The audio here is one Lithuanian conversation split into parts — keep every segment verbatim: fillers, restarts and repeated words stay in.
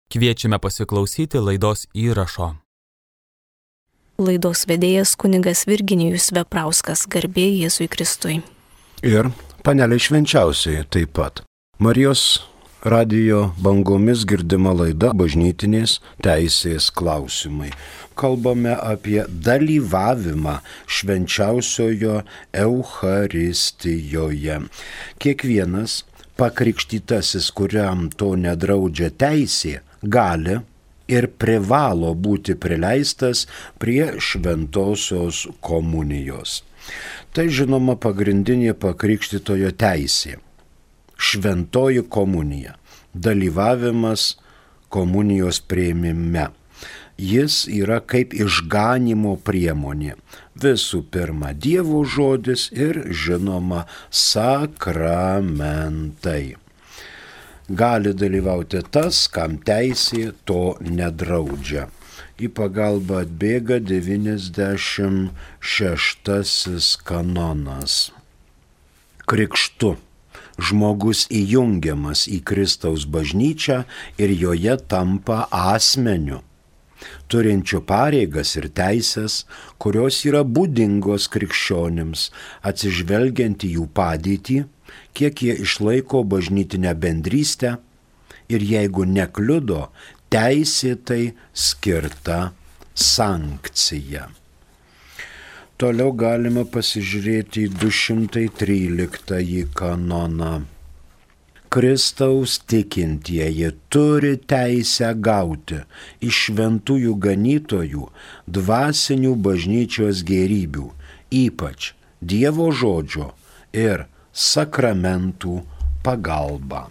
Kviečiame pasiklausyti laidos įrašo. Laidos vedėjas kunigas Virginijus Veprauskas, garbė Jėzui Kristui. Ir panelė švenčiausiai taip pat. Marijos radijo bangomis girdima laida Bažnytinės teisės klausimai. Kalbame apie dalyvavimą švenčiausiojo Eucharistijoje. Kiekvienas pakrikštytasis, kuriam to nedraudžia teisė, gali ir privalo būti prileistas prie šventosios komunijos. Tai žinoma pagrindinė pakrikštytojo teisė. Šventoji komunija. Dalyvavimas komunijos priėmime. Jis yra kaip išganymo priemonė. Visų pirma, Dievo žodis ir žinoma sakramentai. Gali dalyvauti tas, kam teisė to nedraudžia. Į pagalbą atbėga devyniasdešimt šeštasis kanonas. Krikštu žmogus įjungiamas į Kristaus bažnyčią ir joje tampa asmeniu, turinčiu pareigas ir teisės, kurios yra būdingos krikščionims, atsižvelgiant į jų padėtį, kiek jie išlaiko bažnytinę bendrystę ir jeigu nekliudo, teisėtai skirta sankcija. Toliau galima pasižiūrėti į du šimtai tryliktąjį kanoną. Kristaus tikintieji turi teisę gauti iš šventųjų ganytojų dvasinių bažnyčios gėrybių, ypač Dievo žodžio ir sakramentų pagalba.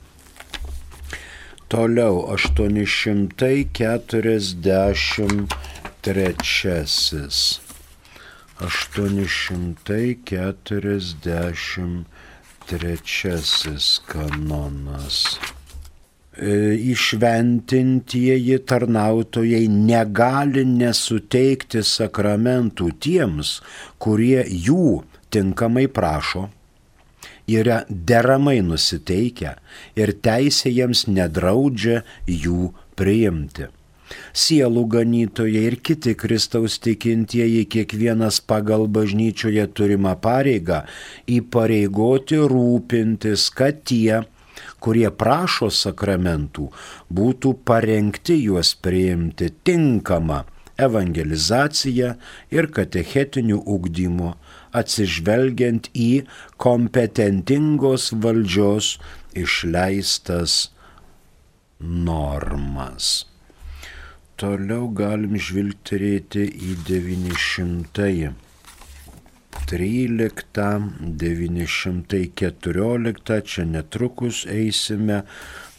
Toliau aštuoni šimtai keturiasdešimt trečiasis. aštuoni šimtai keturiasdešimt trečiasis kanonas. Įšventintieji tarnautojai negali nesuteikti sakramentų tiems, kurie jų tinkamai prašo, yra deramai nusiteikę ir teisė jiems nedraudžia jų priimti. Sielų ganytojai ir kiti Kristaus tikintieji kiekvienas pagal bažnyčioje turimą pareigą įpareigoti rūpintis, kad tie, kurie prašo sakramentų, būtų parengti juos priimti tinkamą evangelizaciją ir katechetinių ugdymo, atsižvelgiant į kompetentingos valdžios išleistas normas. Toliau galim žvilgterėti į devyni šimtai tryliktą, devyni šimtai keturioliktą, čia netrukus eisime,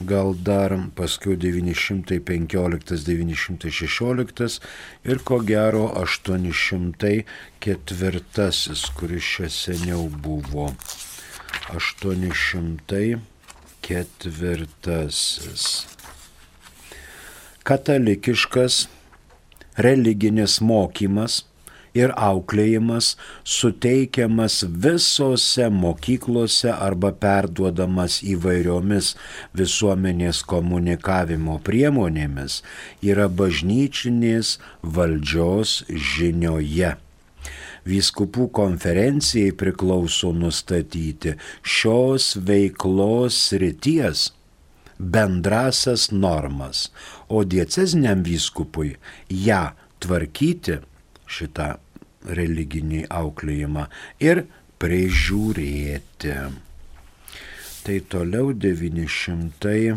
gal dar paskui devyni šimtai penkioliktas, devyni šimtai šešioliktas ir ko gero aštuoni šimtai ketvirtasis, kuris čia seniau buvo. aštuoni šimtai ketvirtasis. Katalikiškas religinis mokymas ir auklėjimas suteikiamas visose mokyklose arba perduodamas įvairiomis visuomenės komunikavimo priemonėmis yra bažnyčinės valdžios žinioje. Vyskupų konferencijai priklauso nustatyti šios veiklos srities bendrasias normas, o dieceziniam vyskupui ją tvarkyti, šitą religinį auklėjimą, ir prižiūrėti. Tai toliau devyni šimtai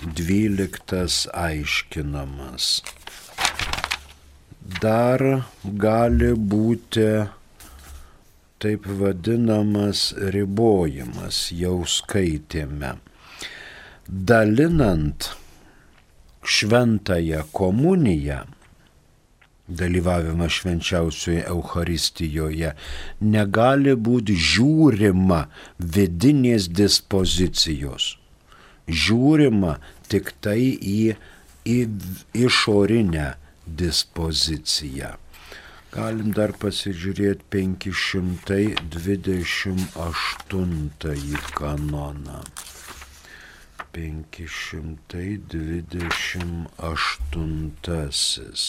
dvyliktas aiškinamas. Dar gali būti taip vadinamas ribojimas, jau skaitėme. Dalinant šventąją komuniją, dalyvavimą švenčiausioje Eucharistijoje, negali būti žiūrima vidinės dispozicijos. Žiūrima tik tai į, į išorinę dispoziciją. Galim dar pasižiūrėti penki šimtai dvidešimt aštuntąjį kanoną. penki šimtai dvidešimt aštuntasis.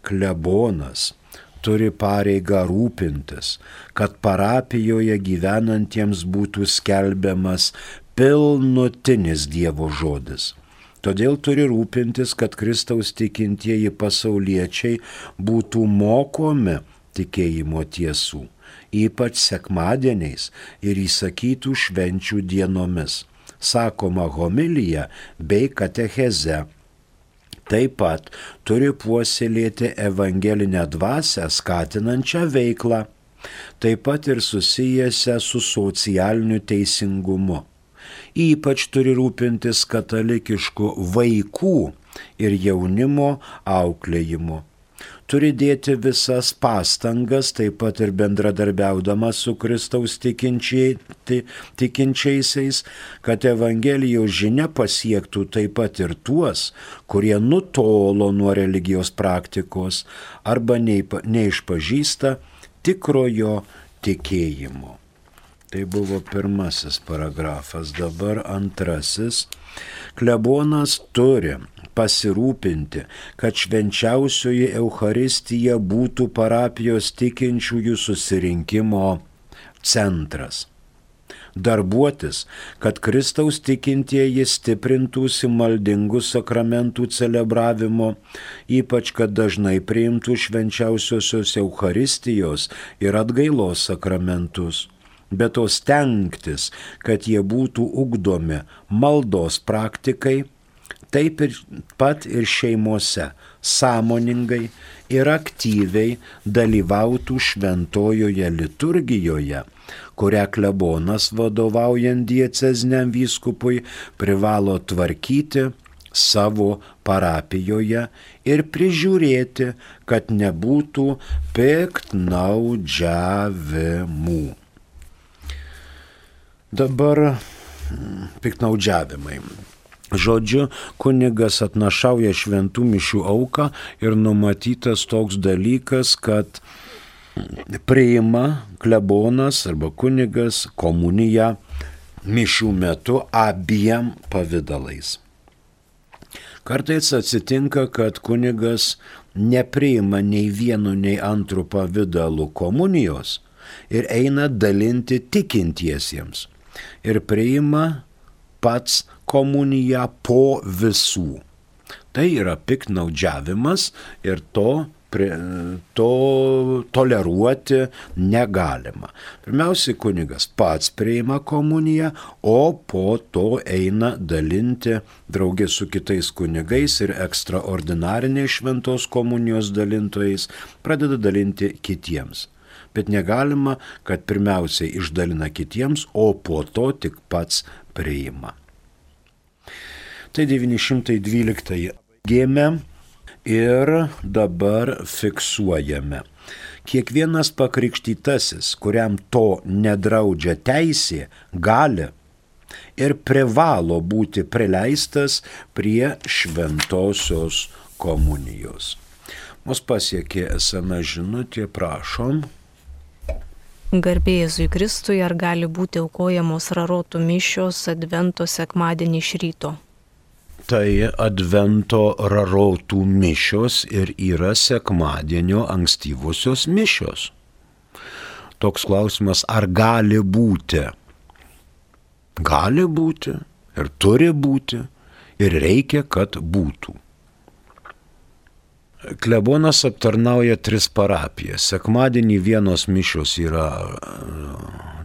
Klebonas turi pareigą rūpintis, kad parapijoje gyvenantiems būtų skelbiamas pilnutinis Dievo žodis. Todėl turi rūpintis, kad Kristaus tikintieji pasauliečiai būtų mokomi tikėjimo tiesų, ypač sekmadieniais ir įsakytų švenčių dienomis, sakoma homilija bei katecheze. Taip pat turi puoselėti evangelinę dvasią skatinančią veiklą, taip pat ir susijęsią su socialiniu teisingumu. Ypač turi rūpintis katalikiškų vaikų ir jaunimo auklėjimu. Turi dėti visas pastangas, taip pat ir bendradarbiaudamas su Kristaus tikinčiai, tikinčiaisiais, kad Evangelijos žinia pasiektų taip pat ir tuos, kurie nutolo nuo religijos praktikos arba neišpažįsta tikrojo tikėjimo. Tai buvo pirmasis paragrafas, dabar antrasis. Klebonas turi pasirūpinti, kad švenčiausioji Eucharistija būtų parapijos tikinčiųjų susirinkimo centras. Darbuotis, kad Kristaus tikintieji stiprintųsi maldingų sakramentų celebravimo, ypač kad dažnai priimtų švenčiausiosios Eucharistijos ir atgailos sakramentus. Bet to stengtis, kad jie būtų ugdomi maldos praktikai, taip ir pat ir šeimose sąmoningai ir aktyviai dalyvautų šventojoje liturgijoje, kurią klebonas vadovaujant dieceziniam vyskupui privalo tvarkyti savo parapijoje ir prižiūrėti, kad nebūtų piktnaudžiavimų. Dabar piktnaudžiavimai. Žodžiu, kunigas atnašauja šventų mišių auką ir numatytas toks dalykas, kad priima klebonas arba kunigas komuniją mišių metu abiem pavidalais. Kartais atsitinka, kad kunigas nepriima nei vienu, nei antru pavidalu komunijos ir eina dalinti tikintiesiems. Ir priima pats komuniją po visų. Tai yra piktnaudžiavimas ir to, to toleruoti negalima. Pirmiausiai kunigas pats priima komuniją, o po to eina dalinti draugė su kitais kunigais ir ekstraordinariniais šventos komunijos dalintojais pradeda dalinti kitiems. Bet negalima, kad pirmiausiai išdalina kitiems, o po to tik pats priima. Tai devyni šimtai dvyliktąjį gėmė ir dabar fiksuojame. Kiekvienas pakrikštytasis, kuriam to nedraudžia teisė, gali ir privalo būti prileistas prie šventosios komunijos. Mus pasiekė es em es žinutė, prašom. Garbė Jėzui Kristui, ar gali būti aukojamos rarotų mišios advento sekmadienį iš ryto? Tai advento rarotų mišios ir yra sekmadienio ankstyvosios mišios. Toks klausimas, ar gali būti? Gali būti ir turi būti ir reikia, kad būtų. Klebonas aptarnauja tris parapijas. Sekmadienį vienos mišios yra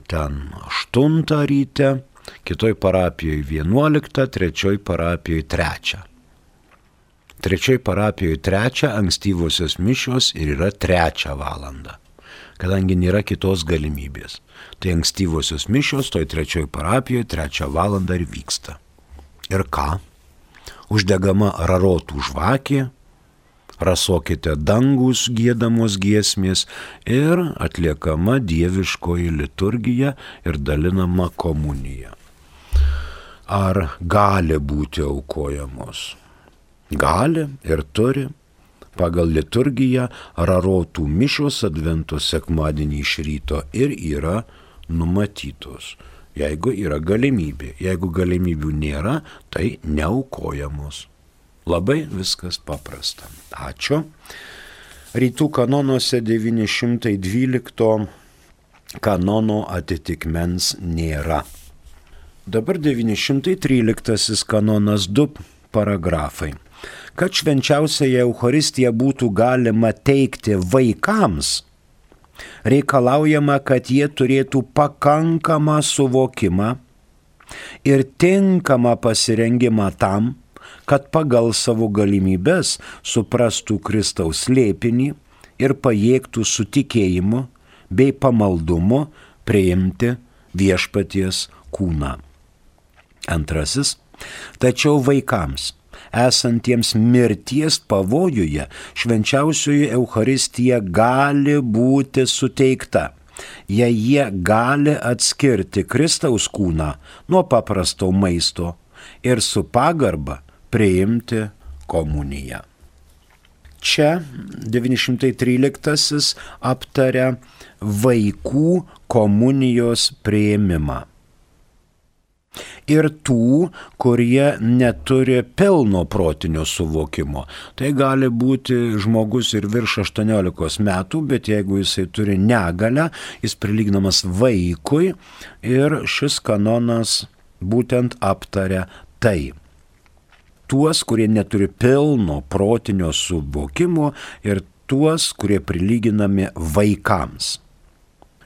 ten aštuntą ryte, kitoj parapijoje vienuoliktą, trečioj parapijoje trečią. Trečioj parapijoje trečią ankstyvosios mišios ir yra trečią valandą, kadangi nėra kitos galimybės. Tai ankstyvosios mišios toj trečioj parapijoje trečią valandą ir vyksta. Ir ką? Uždegama rarotų žvakė, rasokite dangus giedamos giesmės ir atliekama dieviškoji liturgija ir dalinama komunija. Ar gali būti aukojamos? Gali ir turi. Pagal liturgiją rarotų mišios advento sekmadienį iš ryto ir yra numatytos. jeigu yra galimybė. Jeigu galimybių nėra, tai neaukojamos. Labai viskas paprasta. Ačiū. Rytų kanonuose devyni šimtai dvylikto kanono atitikmens nėra. Dabar devyni šimtai tryliktasis kanonas, du paragrafai. Kad švenčiausiąją Eucharistiją būtų galima teikti vaikams, reikalaujama, kad jie turėtų pakankamą suvokimą ir tinkamą pasirengimą tam, kad pagal savo galimybes suprastų Kristaus slėpinį ir pajėgtų su tikėjimu bei pamaldumu priimti viešpaties kūną. Antrasis, tačiau vaikams, esantiems mirties pavojuje, švenčiausioji Eucharistija gali būti suteikta, jei jie gali atskirti Kristaus kūną nuo paprasto maisto ir su pagarba priimti komuniją. Čia devyni šimtai tryliktasis aptaria vaikų komunijos priėmimą. Ir tų, kurie neturi pilno protinio suvokimo. Tai gali būti žmogus ir virš aštuoniolikos metų, bet jeigu jisai turi negalią, jis prilyginamas vaikui ir šis kanonas būtent aptaria tai. Tuos, kurie neturi pilno protinio suvokimo ir tuos, kurie prilyginami vaikams.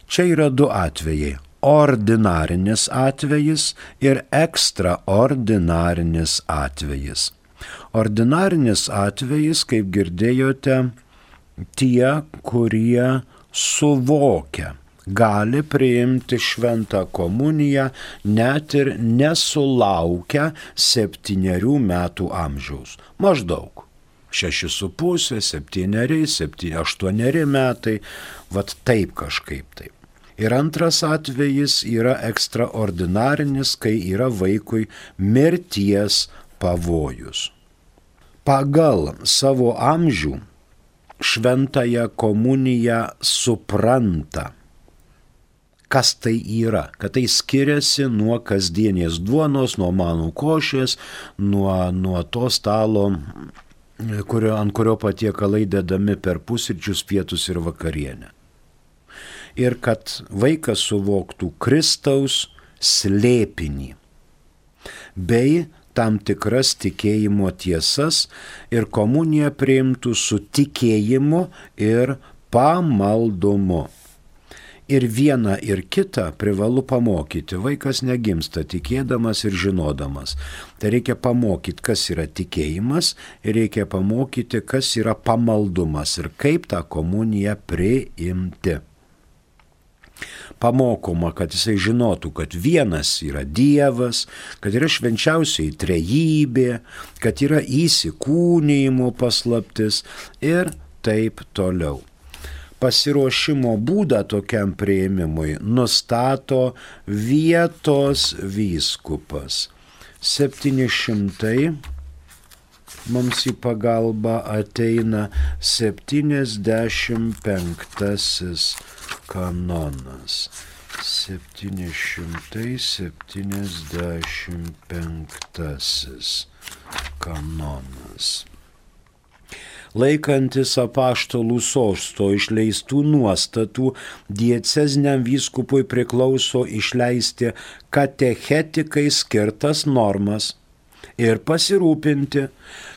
Čia yra du atvejai. Ordinarinis atvejis ir ekstraordinarinis atvejis. Ordinarinis atvejis, kaip girdėjote, tie, kurie suvokia, gali priimti šventą komuniją net ir nesulaukę septynerių metų amžiaus. Maždaug šeši su pusė, septyneri, septyni, aštuoneri metai, vat taip kažkaip taip. Ir antras atvejis yra ekstraordinarinis, kai yra vaikui mirties pavojus. Pagal savo amžių šventąją komuniją supranta, kas tai yra, kad tai skiriasi nuo kasdienės duonos, nuo manų košės, nuo, nuo to stalo, kurio, ant kurio patiekalai dedami per pusryčius, pietus ir vakarienę. Ir kad vaikas suvoktų Kristaus slėpinį bei tam tikras tikėjimo tiesas ir komuniją priimtų su tikėjimu ir pamaldumu. Ir vieną ir kitą privalu pamokyti. Vaikas negimsta tikėdamas ir žinodamas. Tai reikia pamokyti, kas yra tikėjimas ir reikia pamokyti, kas yra pamaldumas ir kaip tą komuniją priimti. Pamokoma, kad jisai žinotų, kad vienas yra Dievas, kad yra švenčiausiai trejybė, kad yra įsikūnijimo paslaptis ir taip toliau. Pasiruošimo būdą tokiam priėmimui nustato vietos vyskupas. septyni šimtai mums į pagalbą ateina septyniasdešimt penktasis kanonas. septyni šimtai septyniasdešimt penktasis kanonas. Laikantis apaštalų sosto išleistų nuostatų, dieceziniam vyskupui priklauso išleisti katechetikai skirtas normas ir pasirūpinti,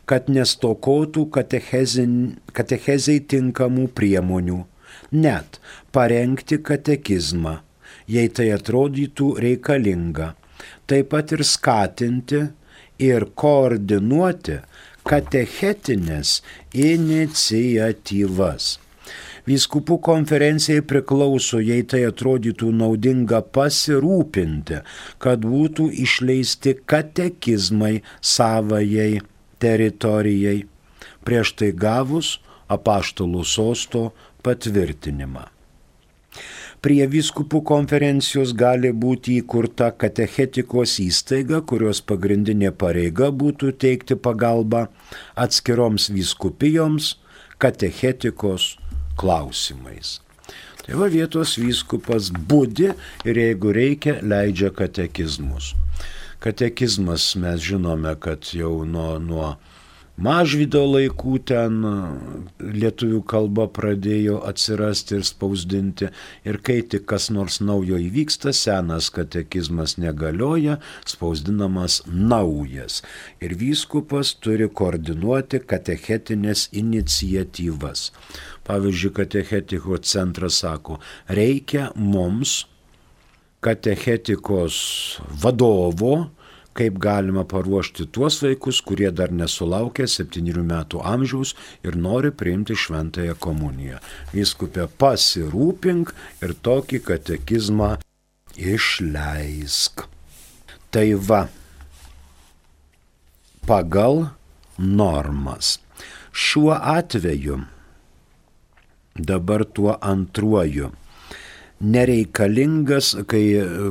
kad nestokotų katechezei tinkamų priemonių, net parengti katekizmą, jei tai atrodytų reikalinga, taip pat ir skatinti ir koordinuoti katechetinės iniciatyvas. Vyskupų konferencijai priklauso, jei tai atrodytų naudinga, pasirūpinti, kad būtų išleisti katekizmai savajai teritorijai, prieš tai gavus apaštalų sosto patvirtinimą. Prie vyskupų konferencijos gali būti įkurta katechetikos įstaiga, kurios pagrindinė pareiga būtų teikti pagalbą atskiroms vyskupijoms katechetikos klausimais. Tai va vietos vyskupas budi ir jeigu reikia, leidžia katekizmus. Katekizmas mes žinome, kad jau nuo, nuo Mažvydo laikų ten lietuvių kalba pradėjo atsirasti ir spausdinti. Ir kai tik kas nors naujo įvyksta, senas katekizmas negalioja, spausdinamas naujas. Ir vyskupas turi koordinuoti katechetinės iniciatyvas. Pavyzdžiui, katechetikos centras sako, reikia mums katechetikos vadovo, kaip galima paruošti tuos vaikus, kurie dar nesulaukia septynių metų amžiaus ir nori priimti šventąją komuniją. Vyskupė, pasirūpink ir tokį katekizmą išleisk. Tai va, pagal normas. Šiuo atveju, dabar tuo antruoju, nereikalingas, kai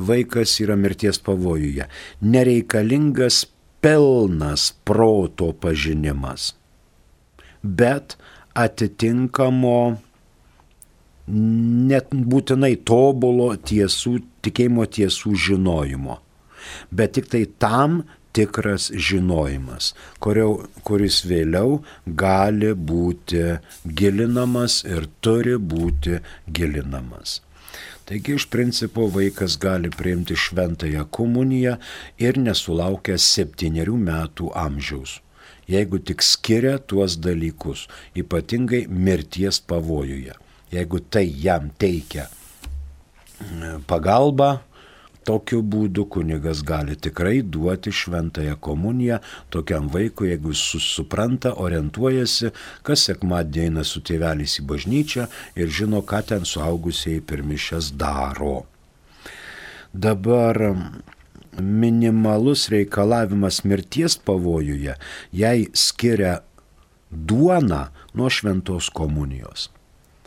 vaikas yra mirties pavojuje, nereikalingas pilnas proto pažinimas, bet atitinkamo net būtinai tobulo tiesų, tikėjimo tiesų žinojimo, bet tik tai tam tikras žinojimas, kurio, kuris vėliau gali būti gilinamas ir turi būti gilinamas. Taigi iš principo vaikas gali priimti šventąją komuniją ir nesulaukęs septynių metų amžiaus, jeigu tik skiria tuos dalykus, ypatingai mirties pavojuje. Jeigu tai jam teikia pagalbą, tokiu būdu kunigas gali tikrai duoti šventąją komuniją tokiam vaikui, jeigu jis supranta, orientuojasi, kas sekmadienį eina su tėveliais į bažnyčią ir žino, ką ten suaugusieji per mišias daro. Dabar minimalus reikalavimas mirties pavojuje, jai skiria duoną nuo šventos komunijos.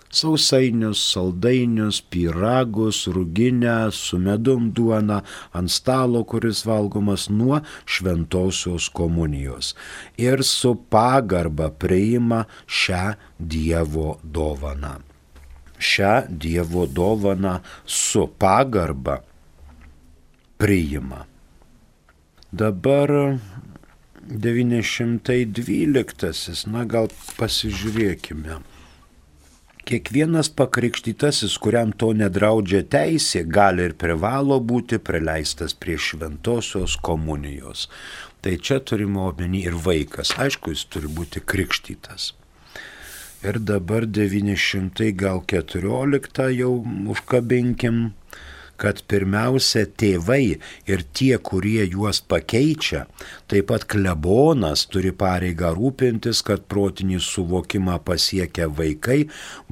Sausainius, saldainius, pyragus, ruginę, su medum duoną ant stalo, kuris valgomas nuo šventosios komunijos. Ir su pagarba priima šią Dievo dovaną. Šią Dievo dovaną su pagarba priima. Dabar devyni šimtai dvyliktasis, na gal pasižiūrėkime. Kiekvienas pakrikštytasis, kuriam to nedraudžia teisė, gali ir privalo būti prileistas prie šventosios komunijos. Tai čia turime omeny ir vaikas. Aišku, jis turi būti krikštytas. Ir dabar devyni šimtai keturioliktą jau užkabinkim, kad pirmiausia tėvai ir tie, kurie juos pakeičia, taip pat klebonas turi pareigą rūpintis, kad protinį suvokimą pasiekę vaikai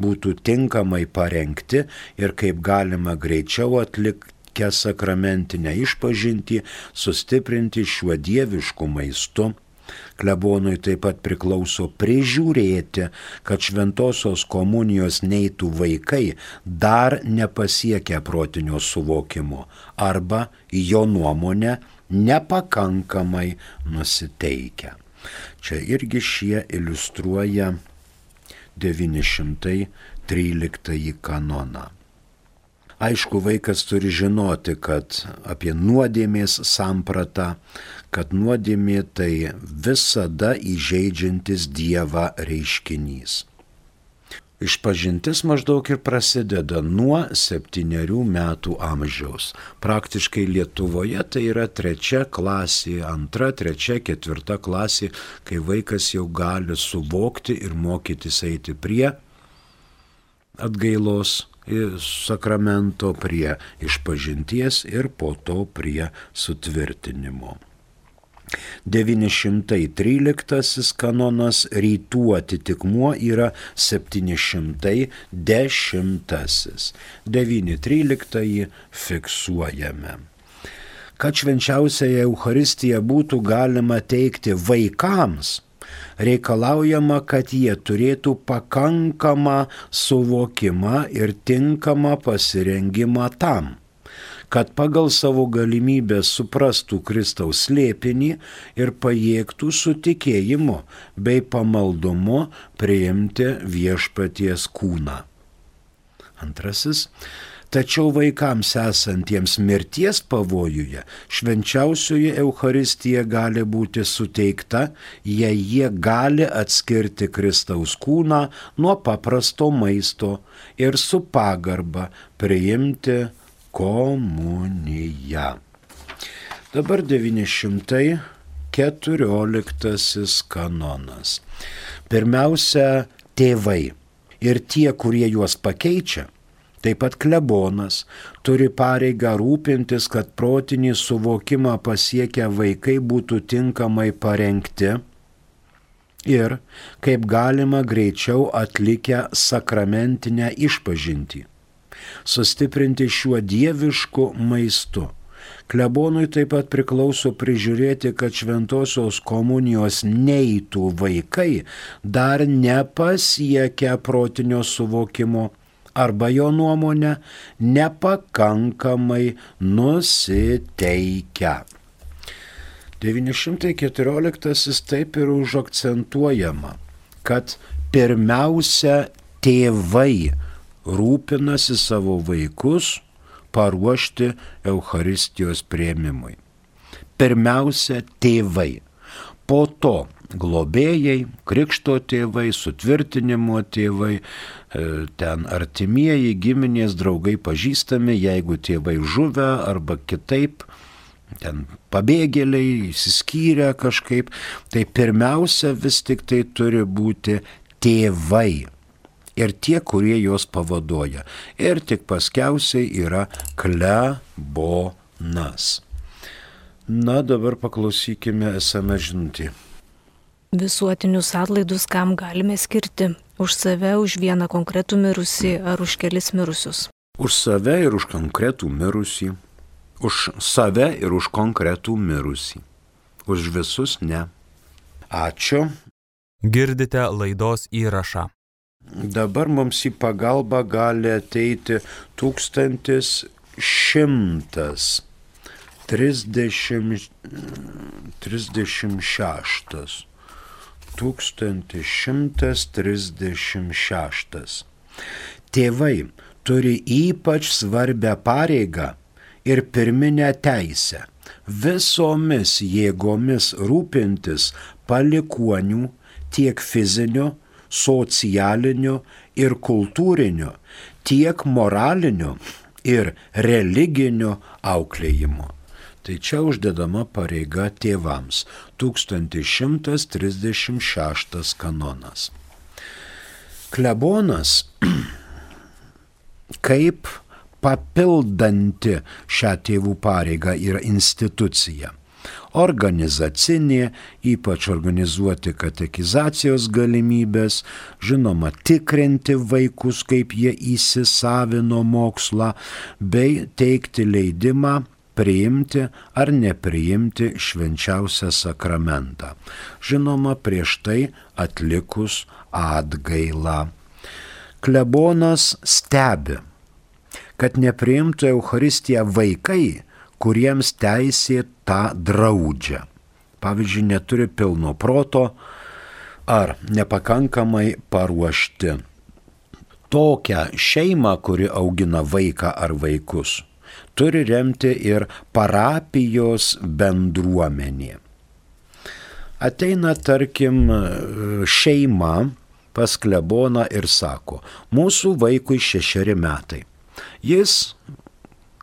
būtų tinkamai parengti ir kaip galima greičiau atlikę sakramentinę išpažintį, sustiprinti šiuo dievišku maistu. Klebonui taip pat priklauso prižiūrėti, kad šventosios komunijos neitų vaikai dar nepasiekę protinio suvokimo arba jo nuomonę nepakankamai nusiteikę. Čia irgi šie iliustruoja devyni šimtai tryliktąjį kanoną. Aišku, vaikas turi žinoti, kad apie nuodėmės sampratą, kad nuodėmė tai visada įžeidžiantis Dievą reiškinys. Išpažintis maždaug ir prasideda nuo septyniarių metų amžiaus. Praktiškai Lietuvoje tai yra trečia klasė, antra, trečia, ketvirta klasė, kai vaikas jau gali suvokti ir mokytis eiti prie atgailos sakramento, prie išpažinties ir po to prie sutvirtinimo. devyni šimtai tryliktasis kanonas rytų atitikmuo yra septyni šimtai dešimtasis. devyni tryliktąjį fiksuojame. Kad švenčiausiąją Eucharistiją būtų galima teikti vaikams, reikalaujama, kad jie turėtų pakankamą suvokimą ir tinkamą pasirengimą tam, kad pagal savo galimybę suprastų Kristaus slėpinį ir pajėgtų su tikėjimu bei pamaldumu priimti viešpaties kūną. Antrasis. Tačiau vaikams esantiems mirties pavojuje švenčiausioji Eucharistija gali būti suteikta, jei jie gali atskirti Kristaus kūną nuo paprasto maisto ir su pagarba priimti komuniją. Dabar devyni šimtai keturioliktasis kanonas. Pirmiausia, tėvai ir tie, kurie juos pakeičia, taip pat klebonas, turi pareigą rūpintis, kad protinį suvokimą pasiekę vaikai būtų tinkamai parengti ir kaip galima greičiau atlikę sakramentinę išpažintį, sustiprinti šiuo dievišku maistu. Klebonui taip pat priklauso prižiūrėti, kad šventosios komunijos neitų vaikai dar nepasiekę protinio suvokimo arba jo nuomonę nepakankamai nusiteikę. devyni šimtai keturioliktasis taip ir užakcentuojama, kad pirmiausia tėvai rūpinasi savo vaikus paruošti Eucharistijos priėmimui. Pirmiausia tėvai, po to globėjai, krikšto tėvai, sutvirtinimo tėvai, ten artimieji, giminės, draugai, pažįstami, jeigu tėvai žuvę arba kitaip, ten pabėgėliai, įsiskyrę kažkaip, tai pirmiausia vis tik tai turi būti tėvai ir tie, kurie juos pavaduoja. Ir tik paskiausiai yra klebonas. Na, dabar paklausykime es em es žinutį. Visuotinius atlaidus kam galime skirti? Už save, už vieną konkretų mirusį ar už kelis mirusius? Už save ir už konkretų mirusį. Už save ir už konkretų mirusį. Už visus ne. Ačiū. Girdite laidos įrašą. Dabar mums į pagalbą gali ateiti tūkstantis šimtas trisdešimt šeštas. tūkstantis šimtas trisdešimt šeštas. Tėvai turi ypač svarbią pareigą ir pirminę teisę visomis jėgomis rūpintis palikuonių tiek fiziniu, socialiniu ir kultūriniu, tiek moraliniu ir religiniu auklėjimu. Tai čia uždedama pareiga tėvams. tūkstantis šimtas trisdešimt šeštas kanonas. Klebonas kaip papildanti šią tėvų pareigą yra institucija. Organizacinė, ypač organizuoti katekizacijos galimybės, žinoma, tikrinti vaikus, kaip jie įsisavino mokslą, bei teikti leidimą priimti ar nepriimti švenčiausią sakramentą. Žinoma, prieš tai atlikus atgailą. Klebonas stebi, kad nepriimtų Eucharistiją vaikai, kuriems teisė tą draudžia. Pavyzdžiui, neturi pilno proto ar nepakankamai paruošti. Tokią šeimą, kuri augina vaiką ar vaikus, turi remti ir parapijos bendruomenė. Ateina, tarkim, šeima pas kleboną ir sako, mūsų vaikui šešeri metai. Jis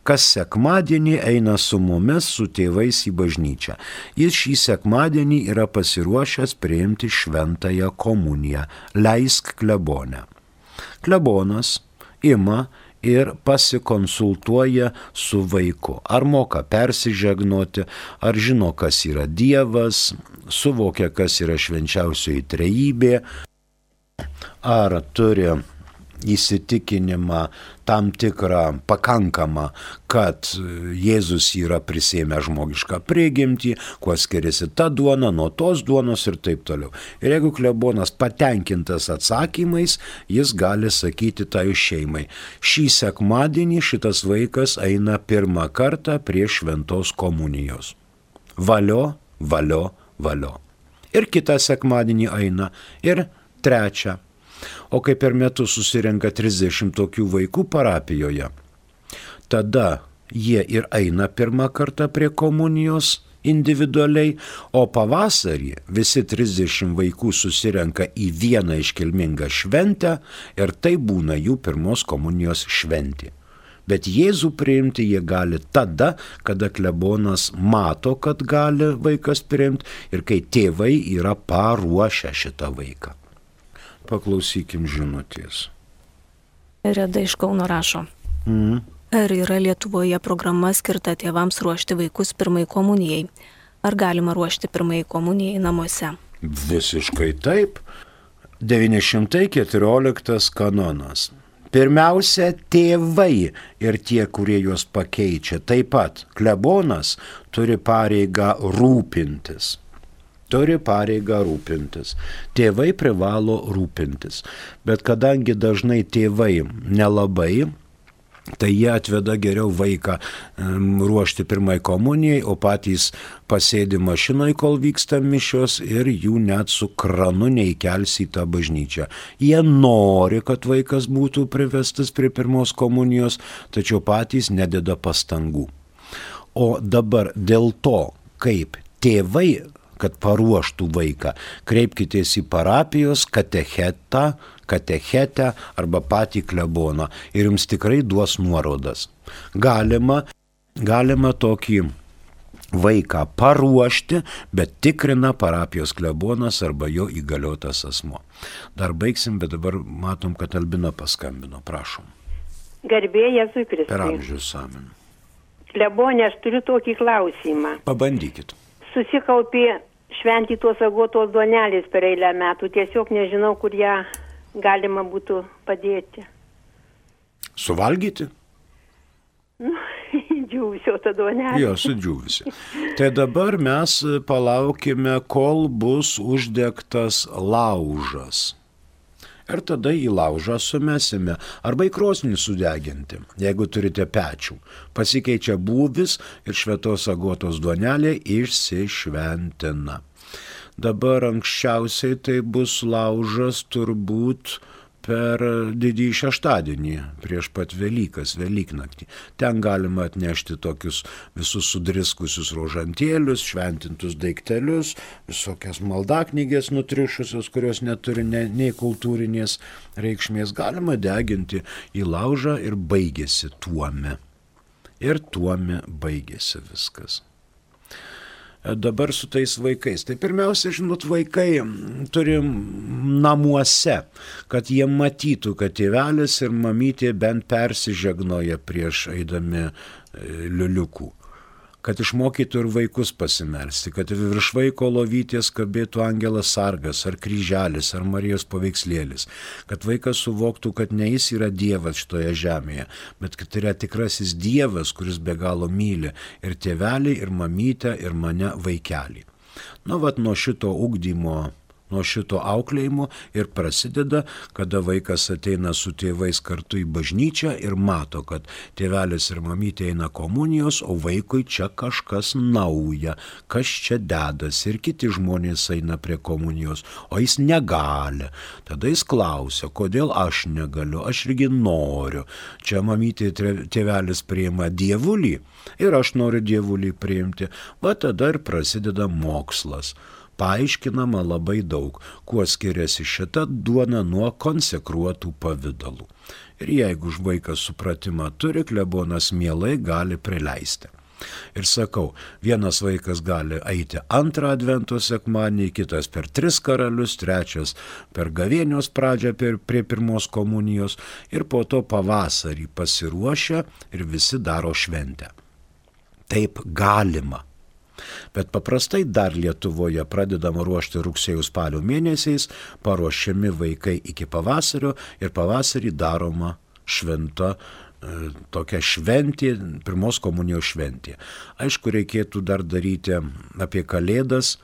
kas sekmadienį eina su mumis, su tėvais į bažnyčią. Jis šį sekmadienį yra pasiruošęs priimti šventąją komuniją. Leisk klebonę. Klebonas ima ir pasikonsultuoja su vaiku. Ar moka persižegnoti, ar žino, kas yra Dievas, suvokia, kas yra švenčiausioji trejybė, ar turi įsitikinimą tam tikrą pakankamą, kad Jėzus yra prisėmęs žmogišką prigimtį, kuo skiriasi ta duona nuo tos duonos ir taip toliau. Ir jeigu klebonas patenkintas atsakymais, jis gali sakyti tai šeimai, šį sekmadienį šitas vaikas eina pirmą kartą prie šventos komunijos. Valio, valio, valio. Ir kitą sekmadienį eina, ir trečią. O kai per metus susirenka trisdešimt tokių vaikų parapijoje, tada jie ir eina pirmą kartą prie komunijos individualiai, o pavasarį visi trisdešimt vaikų susirenka į vieną iškilmingą šventę ir tai būna jų pirmos komunijos šventė. Bet Jėzų priimti jie gali tada, kada klebonas mato, kad gali vaikas priimti ir kai tėvai yra paruošę šitą vaiką. Paklausykim žinutės. Reda iš Kauno rašo. Mm. Ar yra Lietuvoje programa skirta tėvams ruošti vaikus pirmai komunijai? Ar galima ruošti pirmai komunijai namuose? Visiškai taip. devyni šimtai keturioliktas kanonas. Pirmiausia, tėvai ir tie, kurie juos pakeičia. Taip pat klebonas turi pareigą rūpintis. Turi pareigą rūpintis. Tėvai privalo rūpintis. Bet kadangi dažnai tėvai nelabai, tai jie atveda geriau vaiką um, ruošti pirmai komunijai, o patys pasėdi mašinai, kol vyksta mišios ir jų net su kranu neįkels į tą bažnyčią. Jie nori, kad vaikas būtų privestas prie pirmos komunijos, tačiau patys nededa pastangų. O dabar dėl to, kaip tėvai, kad paruoštų vaiką, kreipkitės į parapijos katechetą, katechetę arba patį kleboną ir jums tikrai duos nuorodas. Galima, galima tokį vaiką paruošti, bet tikrina parapijos klebonas arba jo įgaliotas asmuo. Dar baigsim, bet dabar matom, kad Albina paskambino. Prašom. Garbė Jėzui Kristui. Per amžius amen. Klebonė, aš turiu tokį klausimą. Pabandykit. Susikaupė šventytos agotos duonelės per eilę metų. Tiesiog nežinau, kur ją galima būtų padėti. Suvalgyti? Nu, džiūvisio ta duonelė. Jo, sudžiūvisi. Tai dabar mes palaukime, kol bus uždegtas laužas. Ir tada į laužą sumesime arba į krosnį sudeginti, jeigu turite pečių. Pasikeičia būvis ir šventos agotos duonelė išsišventina. Dabar anksčiausiai tai bus laužas turbūt per didįjį šeštadienį, prieš pat Velykas, Velyknaktį. Ten galima atnešti tokius visus sudriskusius rožantėlius, šventintus daiktelius, visokias maldaknygės nutrišusios, kurios neturi ne, nei kultūrinės reikšmės. Galima deginti į laužą ir baigėsi tuome. Ir tuome baigėsi viskas. Dabar su tais vaikais. Tai pirmiausia, žinot, vaikai turim namuose, kad jie matytų, kad tėvelis ir mamytė bent persižegnoja prieš eidami liuliukų. Kad išmokytų ir vaikus pasimelsti, kad virš vaiko lovytės kabėtų angelas sargas, ar kryželis, ar Marijos paveikslėlis. Kad vaikas suvoktų, kad ne jis yra Dievas šitoje žemėje, bet kad yra tikrasis Dievas, kuris be galo myli ir tėvelį, ir mamytę, ir mane vaikelį. Nu, vat nuo šito ugdymo, nuo šito auklėjimo ir prasideda, kada vaikas ateina su tėvais kartu į bažnyčią ir mato, kad tėvelis ir mamytė eina komunijos, o vaikui čia kažkas nauja, kas čia dedasi ir kiti žmonės eina prie komunijos, o jis negali. Tada jis klausia, kodėl aš negaliu, aš irgi noriu. Čia mamytė tėvelis priima dievulį ir aš noriu dievulį priimti. Va tada ir prasideda mokslas. Paaiškinama labai daug, kuo skiriasi šita duona nuo konsekruotų pavidalų. Ir jeigu vaikas supratimą turi, klebonas mielai gali prileisti. Ir sakau, vienas vaikas gali eiti antrą advento sekmadienį, kitas per tris karalius, trečias per gavėnios pradžią per, prie pirmos komunijos ir po to pavasarį pasiruošia ir visi daro šventę. Taip galima. Bet paprastai dar Lietuvoje pradedama ruošti rugsėjo spalio mėnesiais, paruošiami vaikai iki pavasario ir pavasarį daroma šventa, e, tokia šventė, pirmos komunijos šventė. Aišku, reikėtų dar daryti apie Kalėdas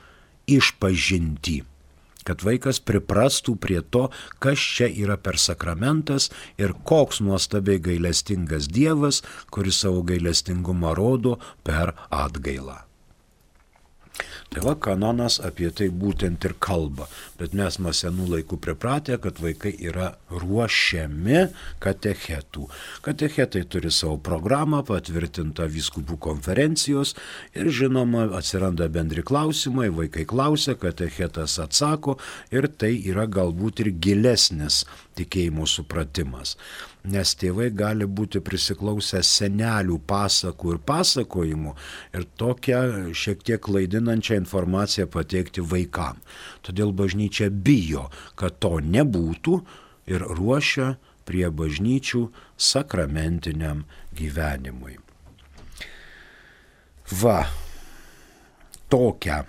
išpažintį, kad vaikas priprastų prie to, kas čia yra per sakramentas ir koks nuostabiai gailestingas Dievas, kuris savo gailestingumą rodo per atgailą. Tai va, kanonas apie tai būtent ir kalba. Bet mes nuo senų laikų pripratę, kad vaikai yra ruošiami katechetų. Katechetai turi savo programą, patvirtintą vyskupų konferencijos ir žinoma, atsiranda bendri klausimai, vaikai klausia, katechetas atsako ir tai yra galbūt ir gilesnis tikėjimo supratimas. Nes tėvai gali būti prisiklausę senelių pasakų ir pasakojimų ir tokią šiek tiek klaidinančią informaciją pateikti vaikam. Todėl bažnyčia bijo, kad to nebūtų ir ruošia prie bažnyčių sakramentiniam gyvenimui. Va, tokią,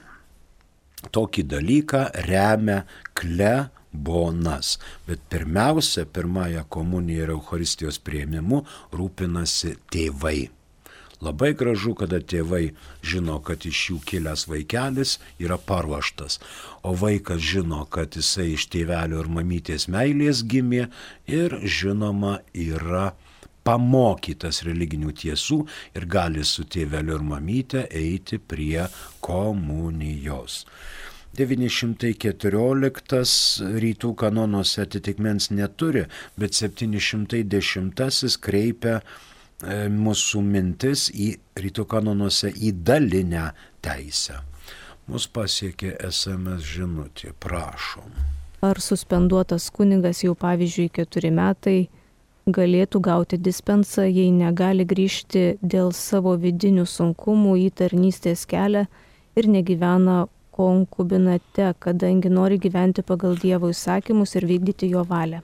tokį dalyką remia klebonas. Bonas, bet pirmiausia, pirmąją komuniją ir Eucharistijos priėmimu rūpinasi tėvai. Labai gražu, kada tėvai žino, kad iš jų kilęs vaikelis yra paruoštas, o vaikas žino, kad jisai iš tėvelio ir mamytės meilės gimė ir žinoma yra pamokytas religinių tiesų ir gali su tėveliu ir mamyte eiti prie komunijos. devyni šimtai keturioliktas rytų kanonuose atitikmens neturi, bet septyni šimtai dešimtasis kreipia e, mūsų mintis į rytų kanonuose į dalinę teisę. Mus pasiekė es em es žinutė, prašom. Ar suspenduotas kunigas jau pavyzdžiui keturi metai galėtų gauti dispensą, jei negali grįžti dėl savo vidinių sunkumų į tarnystės kelią ir negyvena konkubinate, kadangi nori gyventi pagal Dievo įsakymus ir vykdyti jo valią?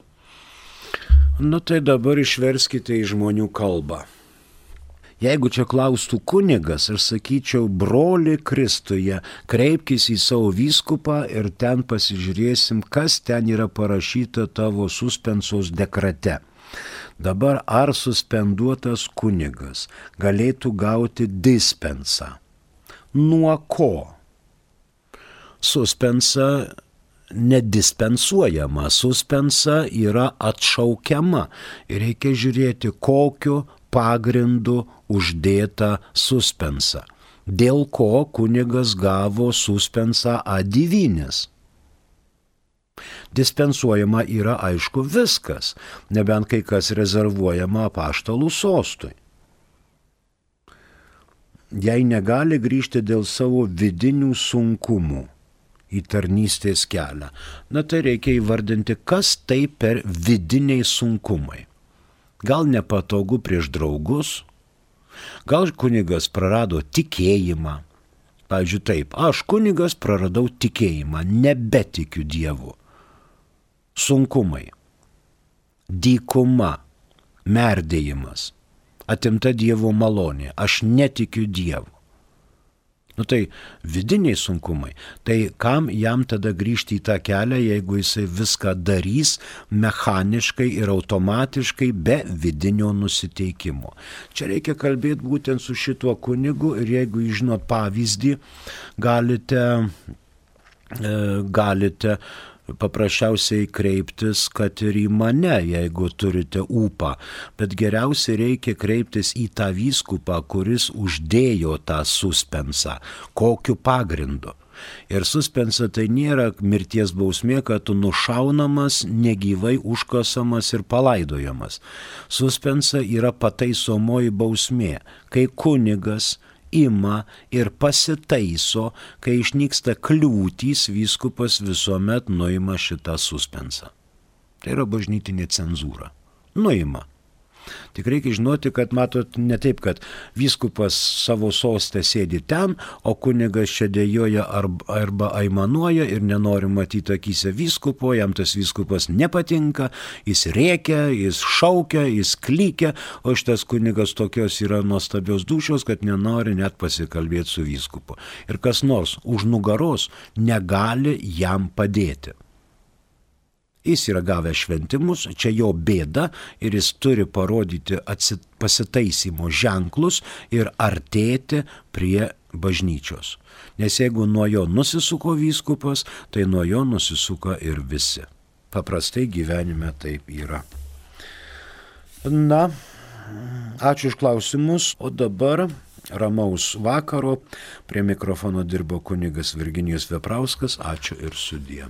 Nu tai dabar išverskite į žmonių kalbą. Jeigu čia klaustų kunigas, aš sakyčiau, broli Kristuje, kreipkis į savo vyskupą ir ten pasižiūrėsim, kas ten yra parašyta tavo suspensos dekrete. Dabar ar suspenduotas kunigas galėtų gauti dispensą? Nuo ko? Suspensa nedispensuojama, suspensa yra atšaukiama ir reikia žiūrėti, kokiu pagrindu uždėta suspensa. Dėl ko kunigas gavo suspensą ad divinis. Dispensuojama yra aišku viskas, nebent kai kas rezervuojama apaštalų sostui. Jei negali grįžti dėl savo vidinių sunkumų į tarnystės kelią, na tai reikia įvardinti, kas tai per vidiniai sunkumai. Gal nepatogu prieš draugus, gal kunigas prarado tikėjimą. Pavyzdžiui taip, aš kunigas praradau tikėjimą, nebetikiu Dievu. Sunkumai, dykuma, merdėjimas, atimta Dievo malonė, aš netikiu Dievu. Nu tai vidiniai sunkumai, tai kam jam tada grįžti į tą kelią, jeigu jisai viską darys mechaniškai ir automatiškai be vidinio nusiteikimo. Čia reikia kalbėti būtent su šituo kunigu ir jeigu jūs žinot pavyzdį, galite, galite paprasčiausiai kreiptis, kad ir į mane, jeigu turite ūpą, bet geriausiai reikia kreiptis į tą vyskupą, kuris uždėjo tą suspensą, kokiu pagrindu. Ir suspensa tai nėra mirties bausmė, kad tu nušaunamas, negyvai užkasamas ir palaidojamas. Suspensa yra pataisomoji bausmė, kai kunigas ima ir pasitaiso, kai išnyksta kliūtys, vyskupas visuomet nuima šitą suspensą. Tai yra bažnytinė cenzūra. Nuima. Tik reikia žinoti, kad matot ne taip, kad vyskupas savo sostę sėdi ten, o kunigas čia dėjoja arba, arba aimanuoja ir nenori matyti akyse vyskupo, jam tas vyskupas nepatinka, jis rėkia, jis šaukia, jis klykia, o šitas kunigas tokios yra nuostabios dūšios, kad nenori net pasikalbėti su vyskupu. Ir kas nors už nugaros negali jam padėti. Jis yra gavęs šventimus, čia jo bėda ir jis turi parodyti atsit, pasitaisymo ženklus ir artėti prie bažnyčios. Nes jeigu nuo jo nusisuko vyskupas, tai nuo jo nusisuka ir visi. Paprastai gyvenime taip yra. Na, ačiū už klausimus, o dabar ramaus vakaro. Prie mikrofono dirbo kunigas Virginijus Veprauskas. Ačiū ir sudie.